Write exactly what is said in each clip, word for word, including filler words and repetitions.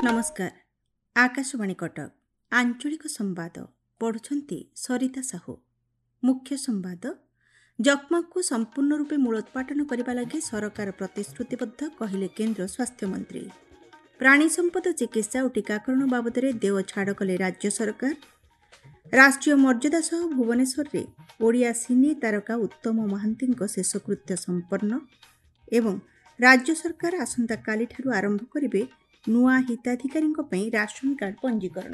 ନମସ୍କାର, ଆକାଶବାଣୀ କଟକ, ଆଞ୍ଚଳିକ ସମ୍ବାଦ ପଢ଼ୁଛନ୍ତି ସରିତା ସାହୁ। ମୁଖ୍ୟ ସମ୍ବାଦ। ଯକ୍ଷ୍ମାକୁ ସମ୍ପୂର୍ଣ୍ଣ ରୂପେ ମୂଳୋତ୍ପାଟନ କରିବା ଲାଗି ସରକାର ପ୍ରତିଶ୍ରୁତିବଦ୍ଧ, କହିଲେ କେନ୍ଦ୍ର ସ୍ୱାସ୍ଥ୍ୟମନ୍ତ୍ରୀ। ପ୍ରାଣୀ ସମ୍ପଦ ଚିକିତ୍ସା ଓ ଟୀକାକରଣ ବାବଦରେ ଦେୟ ଛାଡ଼ କଲେ ରାଜ୍ୟ ସରକାର। ରାଷ୍ଟ୍ରୀୟ ମର୍ଯ୍ୟାଦା ସହ ଭୁବନେଶ୍ୱରରେ ଓଡ଼ିଆ ସିନେ ତାରକା ଉତ୍ତମ ମହାନ୍ତିଙ୍କ ଶେଷକୃତ୍ୟ ସମ୍ପନ୍ନ ଏବଂ ରାଜ୍ୟ ସରକାର ଆସନ୍ତାକାଲିଠାରୁ ଆରମ୍ଭ କରିବେ ନୂଆ ହିତାଧିକାରୀଙ୍କ ପାଇଁ ରାସନ କାର୍ଡ ପଞ୍ଜୀକରଣ।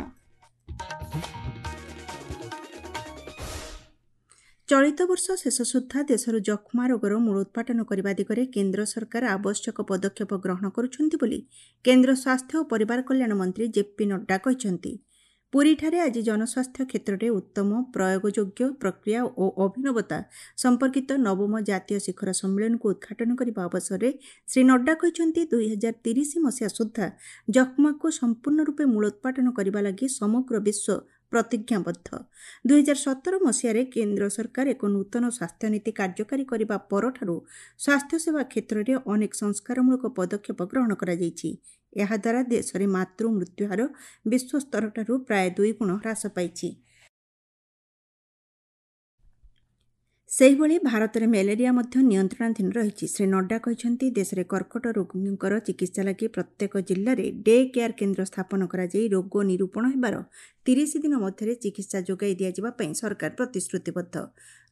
ଚଳିତ ବର୍ଷ ଶେଷ ସୁଦ୍ଧା ଦେଶରୁ ଯକ୍ଷ୍ମା ରୋଗର ମୂଳୋତ୍ପାଟନ କରିବା ଦିଗରେ କେନ୍ଦ୍ର ସରକାର ଆବଶ୍ୟକ ପଦକ୍ଷେପ ଗ୍ରହଣ କରୁଛନ୍ତି ବୋଲି କେନ୍ଦ୍ର ସ୍ୱାସ୍ଥ୍ୟ ଓ ପରିବାର କଲ୍ୟାଣ ମନ୍ତ୍ରୀ ଜେପି ନଡ୍ଡା କହିଛନ୍ତି। ପୁରୀଠାରେ ଆଜି ଜନସ୍ୱାସ୍ଥ୍ୟ କ୍ଷେତ୍ରରେ ଉତ୍ତମ ପ୍ରୟୋଗଯୋଗ୍ୟ ପ୍ରକ୍ରିୟା ଓ ଅଭିନବତା ସମ୍ପର୍କିତ ନବମ ଜାତୀୟ ଶିଖର ସମ୍ମିଳନୀକୁ ଉଦ୍ଘାଟନ କରିବା ଅବସରରେ ଶ୍ରୀ ନଡ୍ଡା କହିଛନ୍ତି, ଦୁଇହଜାର ତିରିଶ ମସିହା ସୁଦ୍ଧା ଯକ୍ଷ୍ମାକୁ ସମ୍ପୂର୍ଣ୍ଣ ରୂପେ ମୂଳୋତ୍ପାଟନ କରିବା ଲାଗି ସମଗ୍ର ବିଶ୍ୱ ପ୍ରତିଜ୍ଞାବଦ୍ଧ। ଦୁଇହଜାର ସତର ମସିହାରେ କେନ୍ଦ୍ର ସରକାର ଏକ ନୂତନ ସ୍ୱାସ୍ଥ୍ୟନୀତି କାର୍ଯ୍ୟକାରୀ କରିବା ପରଠାରୁ ସ୍ୱାସ୍ଥ୍ୟସେବା କ୍ଷେତ୍ରରେ ଅନେକ ସଂସ୍କାରମୂଳକ ପଦକ୍ଷେପ ଗ୍ରହଣ କରାଯାଇଛି। ଏହାଦ୍ୱାରା ଦେଶରେ ମାତୃ ମୃତ୍ୟୁହାର ବିଶ୍ୱସ୍ତରଠାରୁ ପ୍ରାୟ ଦୁଇଗୁଣ ହ୍ରାସ ପାଇଛି। ସେହିଭଳି ଭାରତରେ ମ୍ୟାଲେରିଆ ମଧ୍ୟ ନିୟନ୍ତ୍ରଣାଧୀନ ରହିଛି। ଶ୍ରୀ ନଡ୍ଡା କହିଛନ୍ତି, ଦେଶରେ କର୍କଟ ରୋଗୀଙ୍କର ଚିକିତ୍ସା ଲାଗି ପ୍ରତ୍ୟେକ ଜିଲ୍ଲାରେ ଡେ କେୟାର କେନ୍ଦ୍ର ସ୍ଥାପନ କରାଯାଇ ରୋଗ ନିରୂପଣ ହେବାର ତିରିଶ ଦିନ ମଧ୍ୟରେ ଚିକିତ୍ସା ଯୋଗାଇ ଦିଆଯିବା ପାଇଁ ସରକାର ପ୍ରତିଶ୍ରୁତିବଦ୍ଧ।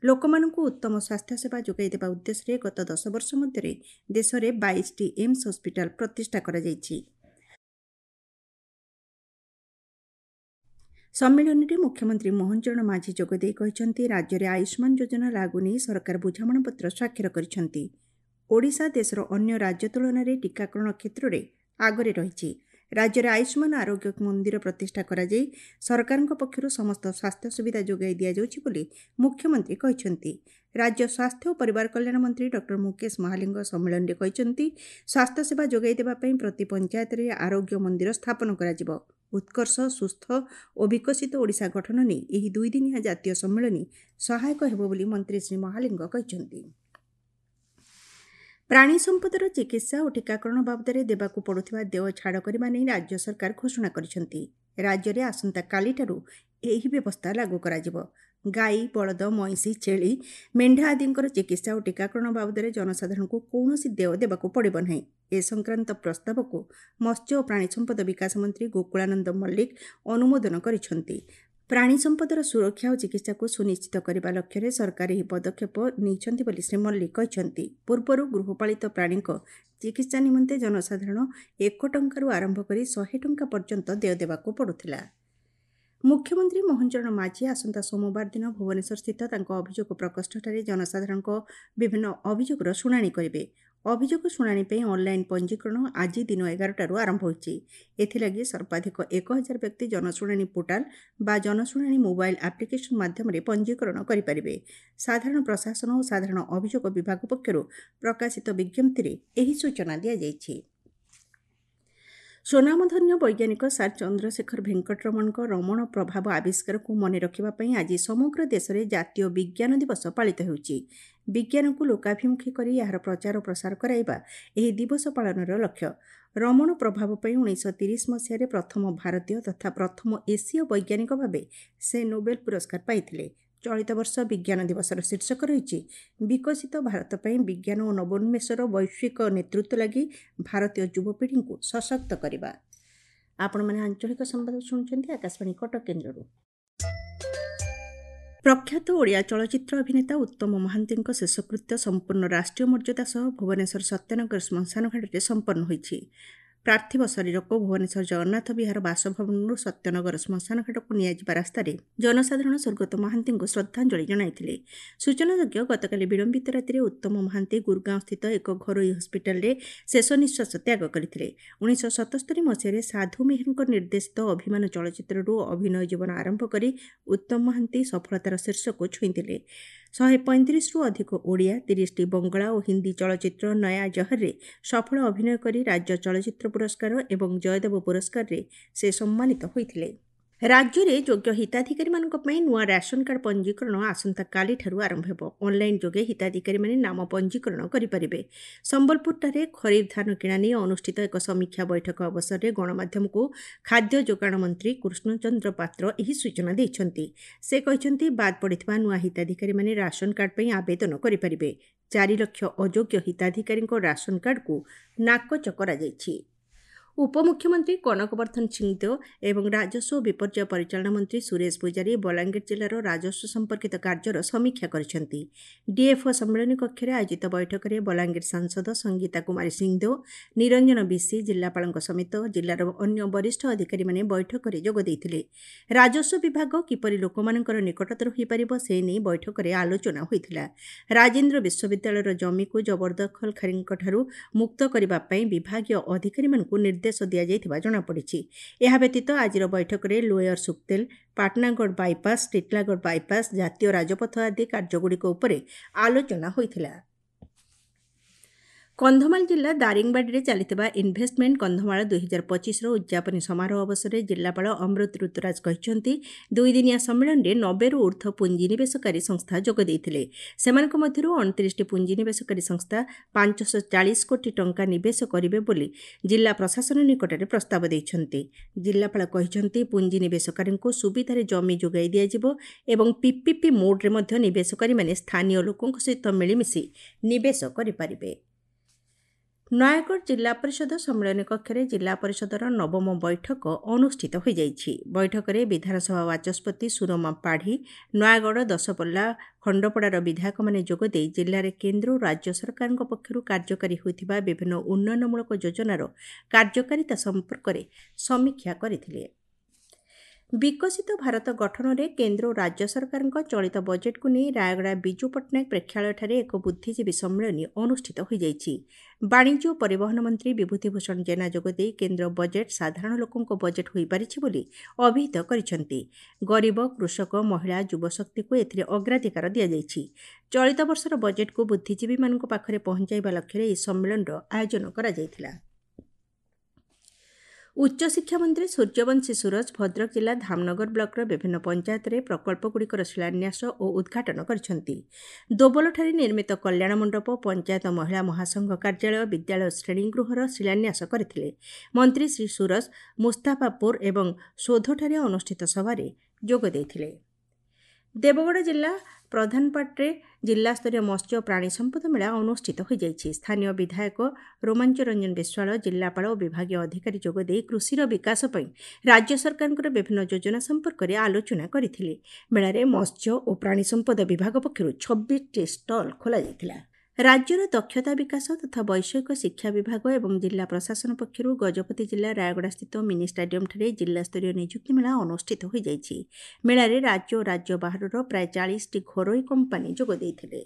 ଲୋକମାନଙ୍କୁ ଉତ୍ତମ ସ୍ୱାସ୍ଥ୍ୟସେବା ଯୋଗାଇ ଦେବା ଉଦ୍ଦେଶ୍ୟରେ ଗତ ଦଶ ବର୍ଷ ମଧ୍ୟରେ ଦେଶରେ ବାଇଶଟି ଏମ୍ସ ହସ୍ପିଟାଲ ପ୍ରତିଷ୍ଠା କରାଯାଇଛି। ସମ୍ମିଳନୀରେ ମୁଖ୍ୟମନ୍ତ୍ରୀ ମୋହନ ଚରଣ ମାଝୀ ଯୋଗଦେଇ କହିଛନ୍ତି, ରାଜ୍ୟରେ ଆୟୁଷ୍ମାନ ଯୋଜନା ଲାଗୁ ନେଇ ସରକାର ବୁଝାମଣାପତ୍ର ସ୍ୱାକ୍ଷର କରିଛନ୍ତି। ଓଡ଼ିଶା ଦେଶର ଅନ୍ୟ ରାଜ୍ୟ ତୁଳନାରେ ଟୀକାକରଣ କ୍ଷେତ୍ରରେ ଆଗରେ ରହିଛି। ରାଜ୍ୟରେ ଆୟୁଷ୍ମାନ ଆରୋଗ୍ୟ ମନ୍ଦିର ପ୍ରତିଷ୍ଠା କରାଯାଇ ସରକାରଙ୍କ ପକ୍ଷରୁ ସମସ୍ତ ସ୍ୱାସ୍ଥ୍ୟ ସୁବିଧା ଯୋଗାଇ ଦିଆଯାଉଛି ବୋଲି ମୁଖ୍ୟମନ୍ତ୍ରୀ କହିଛନ୍ତି। ରାଜ୍ୟ ସ୍ୱାସ୍ଥ୍ୟ ଓ ପରିବାର କଲ୍ୟାଣ ମନ୍ତ୍ରୀ ଡକ୍ଟର ମୁକେଶ ମହାଲିଙ୍ଗ ସମ୍ମିଳନୀରେ କହିଛନ୍ତି, ସ୍ୱାସ୍ଥ୍ୟସେବା ଯୋଗାଇ ଦେବା ପାଇଁ ପ୍ରତି ପଞ୍ଚାୟତରେ ଆରୋଗ୍ୟ ମନ୍ଦିର ସ୍ଥାପନ କରାଯିବ। ଉତ୍କର୍ଷ, ସୁସ୍ଥ ଓ ବିକଶିତ ଓଡ଼ିଶା ଗଠନ ନେଇ ଏହି ଦୁଇଦିନିଆ ଜାତୀୟ ସମ୍ମିଳନୀ ସହାୟକ ହେବ ବୋଲି ମନ୍ତ୍ରୀ ଶ୍ରୀ ମହାଲିଙ୍ଗ କହିଛନ୍ତି। ପ୍ରାଣୀ ସମ୍ପଦର ଚିକିତ୍ସା ଓ ଟୀକାକରଣ ବାବଦରେ ଦେବାକୁ ପଡ଼ୁଥିବା ଦେୟ ଛାଡ଼ କରିବା ନେଇ ରାଜ୍ୟ ସରକାର ଘୋଷଣା କରିଛନ୍ତି। ରାଜ୍ୟରେ ଆସନ୍ତାକାଲିଠାରୁ ଏହି ବ୍ୟବସ୍ଥା ଲାଗୁ କରାଯିବ। ଗାଈ, ବଳଦ, ମଇଁଷି, ଛେଳି, ମେଣ୍ଢା ଆଦିଙ୍କର ଚିକିତ୍ସା ଓ ଟୀକାକରଣ ବାବଦରେ ଜନସାଧାରଣଙ୍କୁ କୌଣସି ଦେୟ ଦେବାକୁ ପଡ଼ିବ ନାହିଁ। ଏ ସଂକ୍ରାନ୍ତ ପ୍ରସ୍ତାବକୁ ମତ୍ସ୍ୟ ଓ ପ୍ରାଣୀ ସମ୍ପଦ ବିକାଶ ମନ୍ତ୍ରୀ ଗୋକୁଳାନନ୍ଦ ମଲ୍ଲିକ ଅନୁମୋଦନ କରିଛନ୍ତି। ପ୍ରାଣୀ ସମ୍ପଦର ସୁରକ୍ଷା ଓ ଚିକିତ୍ସାକୁ ସୁନିଶ୍ଚିତ କରିବା ଲକ୍ଷ୍ୟରେ ସରକାର ଏହି ପଦକ୍ଷେପ ନେଇଛନ୍ତି ବୋଲି ଶ୍ରୀ ମଲ୍ଲିକ କହିଛନ୍ତି। ପୂର୍ବରୁ ଗୃହପାଳିତ ପ୍ରାଣୀଙ୍କ ଚିକିତ୍ସା ନିମନ୍ତେ ଜନସାଧାରଣ ଏକ ଟଙ୍କାରୁ ଆରମ୍ଭ କରି ଶହେ ଟଙ୍କା ପର୍ଯ୍ୟନ୍ତ ଦେୟ ଦେବାକୁ ପଡ଼ୁଥିଲା। ମୁଖ୍ୟମନ୍ତ୍ରୀ ମୋହନ ଚରଣ ମାଝୀ ଆସନ୍ତା ସୋମବାର ଦିନ ଭୁବନେଶ୍ୱରସ୍ଥିତ ତାଙ୍କ ଅଭିଯୋଗ ପ୍ରକୋଷ୍ଠଠାରେ ଜନସାଧାରଣଙ୍କ ବିଭିନ୍ନ ଅଭିଯୋଗର ଶୁଣାଣି କରିବେ। ଅଭିଯୋଗ ଶୁଣାଣି ପାଇଁ ଅନ୍ଲାଇନ୍ ପଞ୍ଜୀକରଣ ଆଜି ଦିନ ଏଗାରଟାରୁ ଆରମ୍ଭ ହୋଇଛି। ଏଥିଲାଗି ସର୍ବାଧିକ ଏକ ହଜାର ବ୍ୟକ୍ତି ଜନଶୁଣାଣି ପୋର୍ଟାଲ ବା ଜନଶୁଣାଣି ମୋବାଇଲ୍ ଆପ୍ଲିକେସନ୍ ମାଧ୍ୟମରେ ପଞ୍ଜୀକରଣ କରିପାରିବେ। ସାଧାରଣ ପ୍ରଶାସନ ଓ ସାଧାରଣ ଅଭିଯୋଗ ବିଭାଗ ପକ୍ଷରୁ ପ୍ରକାଶିତ ବିଜ୍ଞପ୍ତିରେ ଏହି ସୂଚନା ଦିଆଯାଇଛି। ସ୍ୱନାମଧନ୍ୟ ବୈଜ୍ଞାନିକ ସାର୍ ଚନ୍ଦ୍ରଶେଖର ଭେଙ୍କଟରମଣଙ୍କ ରମଣ ପ୍ରଭାବ ଆବିଷ୍କାରକୁ ମନେ ରଖିବା ପାଇଁ ଆଜି ସମଗ୍ର ଦେଶରେ ଜାତୀୟ ବିଜ୍ଞାନ ଦିବସ ପାଳିତ ହେଉଛି। ବିଜ୍ଞାନକୁ ଲୋକାଭିମୁଖୀ କରି ଏହାର ପ୍ରଚାର ଓ ପ୍ରସାର କରାଇବା ଏହି ଦିବସ ପାଳନର ଲକ୍ଷ୍ୟ। ରମଣ ପ୍ରଭାବ ପାଇଁ ଉଣେଇଶହ ତିରିଶ ମସିହାରେ ପ୍ରଥମ ଭାରତୀୟ ତଥା ପ୍ରଥମ ଏସୀୟ ବୈଜ୍ଞାନିକ ଭାବେ ସେ ନୋବେଲ ପୁରସ୍କାର ପାଇଥିଲେ। ଚଳିତ ବର୍ଷ ବିଜ୍ଞାନ ଦିବସର ଶୀର୍ଷକ ରହିଛି, ବିକଶିତ ଭାରତ ପାଇଁ ବିଜ୍ଞାନ ଓ ନବୋନ୍ମେଷର ବୈଶ୍ୱିକ ନେତୃତ୍ୱ ଲାଗି ଭାରତୀୟ ଯୁବପିଢ଼ିଙ୍କୁ ସଶକ୍ତ କରିବା। ଆପଣମାନେ ଆଞ୍ଚଳିକ ସମ୍ବାଦ ଶୁଣୁଛନ୍ତି ଆକାଶବାଣୀ କଟକ କେନ୍ଦ୍ରରୁ। ପ୍ରଖ୍ୟାତ ଓଡ଼ିଆ ଚଳଚ୍ଚିତ୍ର ଅଭିନେତା ଉତ୍ତମ ମହାନ୍ତିଙ୍କ ଶେଷକୃତ୍ୟ ସମ୍ପୂର୍ଣ୍ଣ ରାଷ୍ଟ୍ରୀୟ ମର୍ଯ୍ୟାଦା ସହ ଭୁବନେଶ୍ୱର ସତ୍ୟନଗର ଶ୍ମଶାନଘାଟରେ ସମ୍ପନ୍ନ ହୋଇଛି। ପାର୍ଥିବ ଶରୀରକୁ ଭୁବନେଶ୍ୱର ଜଗନ୍ନାଥ ବିହାର ବାସଭବନରୁ ସତ୍ୟନଗର ଶ୍ମଶାନଘାଟକୁ ନିଆଯିବା ରାସ୍ତାରେ ଜନସାଧାରଣ ସ୍ୱର୍ଗତ ମହାନ୍ତିଙ୍କୁ ଶ୍ରଦ୍ଧାଞ୍ଜଳି ଜଣାଇଥିଲେ। ସୂଚନାଯୋଗ୍ୟ, ଗତକାଲି ବିଳମ୍ବିତ ରାତିରେ ଉତ୍ତମ ମହାନ୍ତି ଗୁରଗାଁଓସ୍ଥିତ ଏକ ଘରୋଇ ହସ୍ପିଟାଲରେ ଶେଷ ନିଃଶ୍ୱାସ ତ୍ୟାଗ କରିଥିଲେ। ଉଣେଇଶହ ସତସ୍ତରୀ ମସିହାରେ ସାଧୁ ମେହେରଙ୍କ ନିର୍ଦ୍ଦେଶିତ ଅଭିମାନ ଚଳଚ୍ଚିତ୍ରରୁ ଅଭିନୟ ଜୀବନ ଆରମ୍ଭ କରି ଉତ୍ତମ ମହାନ୍ତି ସଫଳତାର ଶୀର୍ଷକୁ ଛୁଇଁଥିଲେ। ଶହେ ପଇଁତିରିଶରୁ ଅଧିକ ଓଡ଼ିଆ, ତିରିଶଟି ବଙ୍ଗଳା ଓ ହିନ୍ଦୀ ଚଳଚ୍ଚିତ୍ର ନୟା ଜହରରେ ସଫଳ ଅଭିନୟ କରି ରାଜ୍ୟ ଚଳଚ୍ଚିତ୍ର ପୁରସ୍କାର ଏବଂ ଜୟଦେବ ପୁରସ୍କାରରେ ସେ ସମ୍ମାନିତ ହୋଇଥିଲେ। ରାଜ୍ୟରେ ଯୋଗ୍ୟ ହିତାଧିକାରୀମାନଙ୍କ ପାଇଁ ନୂଆ ରାସନ କାର୍ଡ ପଞ୍ଜୀକରଣ ଆସନ୍ତାକାଲିଠାରୁ ଆରମ୍ଭ ହେବ। ଅନ୍ଲାଇନ୍ ଯୋଗେ ହିତାଧିକାରୀମାନେ ନାମ ପଞ୍ଜୀକରଣ କରିପାରିବେ। ସମ୍ବଲପୁରଠାରେ ଖରିଫ ଧାନ କିଣା ନେଇ ଅନୁଷ୍ଠିତ ଏକ ସମୀକ୍ଷା ବୈଠକ ଅବସରରେ ଗଣମାଧ୍ୟମକୁ ଖାଦ୍ୟ ଯୋଗାଣ ମନ୍ତ୍ରୀ କୃଷ୍ଣଚନ୍ଦ୍ର ପାତ୍ର ଏହି ସୂଚନା ଦେଇଛନ୍ତି। ସେ କହିଛନ୍ତି, ବାଦ୍ ପଡ଼ିଥିବା ନୂଆ ହିତାଧିକାରୀମାନେ ରାସନ କାର୍ଡ ପାଇଁ ଆବେଦନ କରିପାରିବେ। ଚାରି ଲକ୍ଷ ଅଯୋଗ୍ୟ ହିତାଧିକାରୀଙ୍କ ରାସନ କାର୍ଡକୁ ନାକଚ କରାଯାଇଛି। ଉପମୁଖ୍ୟମନ୍ତ୍ରୀ କନକବର୍ଦ୍ଧନ ସିଂଦେଓ ଏବଂ ରାଜସ୍ୱ ଓ ବିପର୍ଯ୍ୟୟ ପରିଚାଳନା ମନ୍ତ୍ରୀ ସୁରେଶ ପୂଜାରୀ ବଲାଙ୍ଗୀର ଜିଲ୍ଲାର ରାଜସ୍ୱ ସମ୍ପର୍କିତ କାର୍ଯ୍ୟର ସମୀକ୍ଷା କରିଛନ୍ତି। ଡିଏଫ୍ଓ ସମ୍ମିଳନୀ କକ୍ଷରେ ଆୟୋଜିତ ବୈଠକରେ ବଲାଙ୍ଗୀର ସାଂସଦ ସଙ୍ଗୀତା କୁମାରୀ ସିଂଦେଓ, ନିରଞ୍ଜନ ବିଶି, ଜିଲ୍ଲାପାଳଙ୍କ ସମେତ ଜିଲ୍ଲାର ଅନ୍ୟ ବରିଷ୍ଠ ଅଧିକାରୀମାନେ ବୈଠକରେ ଯୋଗ ଦେଇଥିଲେ। ରାଜସ୍ୱ ବିଭାଗ କିପରି ଲୋକମାନଙ୍କର ନିକଟତର ହୋଇପାରିବ ସେ ନେଇ ବୈଠକରେ ଆଲୋଚନା ହୋଇଥିଲା। ରାଜେନ୍ଦ୍ର ବିଶ୍ୱବିଦ୍ୟାଳୟର ଜମିକୁ ଜବରଦଖଲକାରୀଙ୍କଠାରୁ ମୁକ୍ତ କରିବା ପାଇଁ ବିଭାଗୀୟ ଅଧିକାରୀମାନଙ୍କୁ ନିର୍ଦ୍ଦେଶ ଦିଆଯାଇଥିବା ଜଣାପଡ଼ିଛି। ଏହା ବ୍ୟତୀତ ଆଜିର ବୈଠକରେ lower Suktel, Patnagarh bypass, Titlagarh bypass, ଜାତୀୟ ରାଜପଥ ଆଦି କାର୍ଯ୍ୟଗୁଡ଼ିକ ଉପରେ ଆଲୋଚନା ହୋଇଥିଲା। କନ୍ଧମାଳ ଜିଲ୍ଲା ଦାରିଙ୍ଗବାଡ଼ିରେ ଚାଲିଥିବା ଇନଭେଷ୍ଟମେଣ୍ଟ କନ୍ଧମାଳ ଦୁଇହଜାର ପଚିଶର ଉଦ୍ଯାପନୀ ସମାରୋହ ଅବସରରେ ଜିଲ୍ଲାପାଳ ଅମୃତ ଋତୁରାଜ କହିଛନ୍ତି, ଦୁଇଦିନିଆ ସମ୍ମିଳନୀରେ ନବେରୁ ଉର୍ଦ୍ଧ୍ୱ ପୁଞ୍ଜିନିବେଶକାରୀ ସଂସ୍ଥା ଯୋଗ ଦେଇଥିଲେ। ସେମାନଙ୍କ ମଧ୍ୟରୁ ଅଣତିରିଶଟି ପୁଞ୍ଜିନିବେଶକାରୀ ସଂସ୍ଥା ପାଞ୍ଚଶହ ଚାଳିଶ କୋଟି ଟଙ୍କା ନିବେଶ କରିବେ ବୋଲି ଜିଲ୍ଲା ପ୍ରଶାସନ ନିକଟରେ ପ୍ରସ୍ତାବ ଦେଇଛନ୍ତି। ଜିଲ୍ଲାପାଳ କହିଛନ୍ତି, ପୁଞ୍ଜିନିବେଶକାରୀଙ୍କୁ ସୁବିଧାରେ ଜମି ଯୋଗାଇ ଦିଆଯିବ ଏବଂ ପିପିପି ମୋଡ୍ରେ ମଧ୍ୟ ନିବେଶକାରୀମାନେ ସ୍ଥାନୀୟ ଲୋକଙ୍କ ସହିତ ମିଳିମିଶି ନିବେଶ କରିପାରିବେ। ନୟାଗଡ଼ ଜିଲ୍ଲା ପରିଷଦ ସମ୍ମିଳନୀ କକ୍ଷରେ ଜିଲ୍ଲା ପରିଷଦର ନବମ ବୈଠକ ଅନୁଷ୍ଠିତ ହୋଇଯାଇଛି। ବୈଠକରେ ବିଧାନସଭା ବାଚସ୍ପତି ସୁରମା ପାଢ଼ୀ, ନୟାଗଡ଼, ଦଶପଲ୍ଲା, ଖଣ୍ଡପଡ଼ାର ବିଧାୟକମାନେ ଯୋଗଦେଇ ଜିଲ୍ଲାରେ କେନ୍ଦ୍ର ଓ ରାଜ୍ୟ ସରକାରଙ୍କ ପକ୍ଷରୁ କାର୍ଯ୍ୟକାରୀ ହୋଇଥିବା ବିଭିନ୍ନ ଉନ୍ନୟନମୂଳକ ଯୋଜନାର କାର୍ଯ୍ୟକାରିତା ସମ୍ପର୍କରେ ସମୀକ୍ଷା କରିଥିଲେ। ବିକଶିତ ଭାରତ ଗଠନରେ କେନ୍ଦ୍ର ଓ ରାଜ୍ୟ ସରକାରଙ୍କ ଚଳିତ ବଜେଟ୍କୁ ନେଇ ରାୟଗଡ଼ା ବିଜୁ ପଟ୍ଟନାୟକ ପ୍ରେକ୍ଷାଳୟଠାରେ ଏକ ବୁଦ୍ଧିଜୀବୀ ସମ୍ମିଳନୀ ଅନୁଷ୍ଠିତ ହୋଇଯାଇଛି। ବାଣିଜ୍ୟ ଓ ପରିବହନ ମନ୍ତ୍ରୀ ବିଭୂତିଭୂଷଣ ଜେନା ଯୋଗଦେଇ କେନ୍ଦ୍ର ବଜେଟ୍ ସାଧାରଣ ଲୋକଙ୍କ ବଜେଟ୍ ହୋଇପାରିଛି ବୋଲି ଅଭିହିତ କରିଛନ୍ତି। ଗରିବ, କୃଷକ, ମହିଳା, ଯୁବଶକ୍ତିକୁ ଏଥିରେ ଅଗ୍ରାଧିକାର ଦିଆଯାଇଛି। ଚଳିତ ବର୍ଷର ବଜେଟ୍କୁ ବୁଦ୍ଧିଜୀବୀମାନଙ୍କ ପାଖରେ ପହଞ୍ଚାଇବା ଲକ୍ଷ୍ୟରେ ଏହି ସମ୍ମିଳନୀର ଆୟୋଜନ କରାଯାଇଥିଲା। ଉଚ୍ଚଶିକ୍ଷା ମନ୍ତ୍ରୀ ସୂର୍ଯ୍ୟବଂଶୀ ସୂରଜ ଭଦ୍ରକ ଜିଲ୍ଲା ଧାମନଗର ବ୍ଲକର ବିଭିନ୍ନ ପଞ୍ଚାୟତରେ ପ୍ରକଳ୍ପଗୁଡ଼ିକର ଶିଳାନ୍ୟାସ ଓ ଉଦ୍ଘାଟନ କରିଛନ୍ତି। ଦୋବଲଠାରେ ନିର୍ମିତ କଲ୍ୟାଣ ମଣ୍ଡପ, ପଞ୍ଚାୟତ ମହିଳା ମହାସଂଘ କାର୍ଯ୍ୟାଳୟ, ବିଦ୍ୟାଳୟ ଶ୍ରେଣୀଗୃହର ଶିଳାନ୍ୟାସ କରିଥିଲେ। ମନ୍ତ୍ରୀ ଶ୍ରୀ ସୂରଜ ମୁସ୍ତାଫାପୁର ଏବଂ ସୋଧଠାରେ ଅନୁଷ୍ଠିତ ସଭାରେ ଯୋଗ ଦେଇଥିଲେ। ଦେବଗଡ଼ ଜିଲ୍ଲା ପ୍ରଧାନପାଟରେ ଜିଲ୍ଲାସ୍ତରୀୟ ମତ୍ସ୍ୟ ଓ ପ୍ରାଣୀ ସମ୍ପଦ ମେଳା ଅନୁଷ୍ଠିତ ହୋଇଯାଇଛି। ସ୍ଥାନୀୟ ବିଧାୟକ ରୋମାଞ୍ଚ ରଞ୍ଜନ ବିଶ୍ୱାଳ, ଜିଲ୍ଲାପାଳ ଓ ବିଭାଗୀୟ ଅଧିକାରୀ ଯୋଗଦେଇ କୃଷିର ବିକାଶ ପାଇଁ ରାଜ୍ୟ ସରକାରଙ୍କର ବିଭିନ୍ନ ଯୋଜନା ସମ୍ପର୍କରେ ଆଲୋଚନା କରିଥିଲେ। ମେଳାରେ ମତ୍ସ୍ୟ ଓ ପ୍ରାଣୀ ସମ୍ପଦ ବିଭାଗ ପକ୍ଷରୁ ଛବିଶଟି ଷ୍ଟଲ୍ ଖୋଲାଯାଇଥିଲା। ରାଜ୍ୟର ଦକ୍ଷତା ବିକାଶ ତଥା ବୈଷୟିକ ଶିକ୍ଷା ବିଭାଗ ଏବଂ ଜିଲ୍ଲା ପ୍ରଶାସନ ପକ୍ଷରୁ ଗଜପତି ଜିଲ୍ଲା ରାୟଗଡ଼ାସ୍ଥିତ ମିନି ଷ୍ଟାଡିୟମ୍ଠାରେ ଜିଲ୍ଲାସ୍ତରୀୟ ନିଯୁକ୍ତି ମେଳା ଅନୁଷ୍ଠିତ ହୋଇଯାଇଛି। ମେଳାରେ ରାଜ୍ୟ ଓ ରାଜ୍ୟ ବାହାରର ପ୍ରାୟ ଚାଳିଶଟି ଘରୋଇ କମ୍ପାନୀ ଯୋଗ ଦେଇଥିଲେ।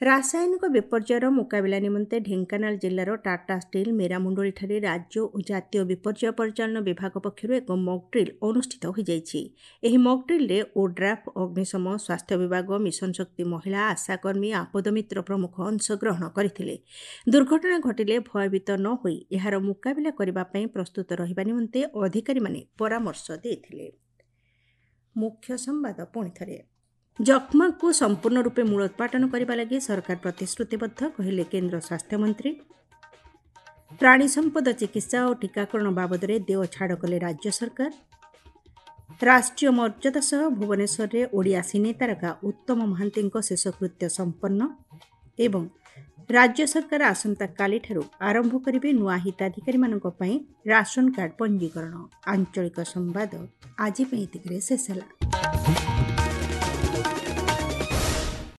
ରାସାୟନିକ ବିପର୍ଯ୍ୟୟର ମୁକାବିଲା ନିମନ୍ତେ ଢେଙ୍କାନାଳ ଜିଲ୍ଲାର ଟାଟା ଷ୍ଟିଲ୍ ମେରାମୁଣ୍ଡୁଳିଠାରେ ରାଜ୍ୟ ଓ ଜାତୀୟ ବିପର୍ଯ୍ୟୟ ପରିଚାଳନା ବିଭାଗ ପକ୍ଷରୁ ଏକ ମକ୍ ଡ୍ରିଲ୍ ଅନୁଷ୍ଠିତ ହୋଇଯାଇଛି। ଏହି ମକ୍ ଡ୍ରିଲ୍ରେ ଓଡ୍ରାଫ୍, ଅଗ୍ନିଶମ, ସ୍ୱାସ୍ଥ୍ୟ ବିଭାଗ, ମିଶନ ଶକ୍ତି ମହିଳା, ଆଶାକର୍ମୀ, ଆପଦ ମିତ୍ର ପ୍ରମୁଖ ଅଂଶଗ୍ରହଣ କରିଥିଲେ। ଦୁର୍ଘଟଣା ଘଟିଲେ ଭୟଭୀତ ନ ହୋଇ ଏହାର ମୁକାବିଲା କରିବା ପାଇଁ ପ୍ରସ୍ତୁତ ରହିବା ନିମନ୍ତେ ଅଧିକାରୀମାନେ ପରାମର୍ଶ ଦେଇଥିଲେ। ମୁଖ୍ୟ ସମ୍ବାଦ ପୁଣିଥରେ। ଯକ୍ଷ୍ମାକୁ ସମ୍ପୂର୍ଣ୍ଣ ରୂପେ ମୂଳୋତ୍ପାଟନ କରିବା ଲାଗି ସରକାର ପ୍ରତିଶ୍ରୁତିବଦ୍ଧ, କହିଲେ କେନ୍ଦ୍ର ସ୍ୱାସ୍ଥ୍ୟମନ୍ତ୍ରୀ। ପ୍ରାଣୀ ସମ୍ପଦ ଚିକିତ୍ସା ଓ ଟୀକାକରଣ ବାବଦରେ ଦେୟ ଛାଡ଼ କଲେ ରାଜ୍ୟ ସରକାର। ରାଷ୍ଟ୍ରୀୟ ମର୍ଯ୍ୟାଦା ସହ ଭୁବନେଶ୍ୱରରେ ଓଡ଼ିଆ ସିନେ ତାରକା ଉତ୍ତମ ମହାନ୍ତିଙ୍କ ଶେଷକୃତ୍ୟ ସମ୍ପନ୍ନ ଏବଂ ରାଜ୍ୟ ସରକାର ଆସନ୍ତାକାଲିଠାରୁ ଆରମ୍ଭ କରିବେ ନୂଆ ହିତାଧିକାରୀମାନଙ୍କ ପାଇଁ ରାସନ କାର୍ଡ ପଞ୍ଜୀକରଣ। ଆଞ୍ଚଳିକ ସମ୍ବାଦ ଆଜି ପାଇଁ ଏତିକିରେ ଶେଷ ହେଲା।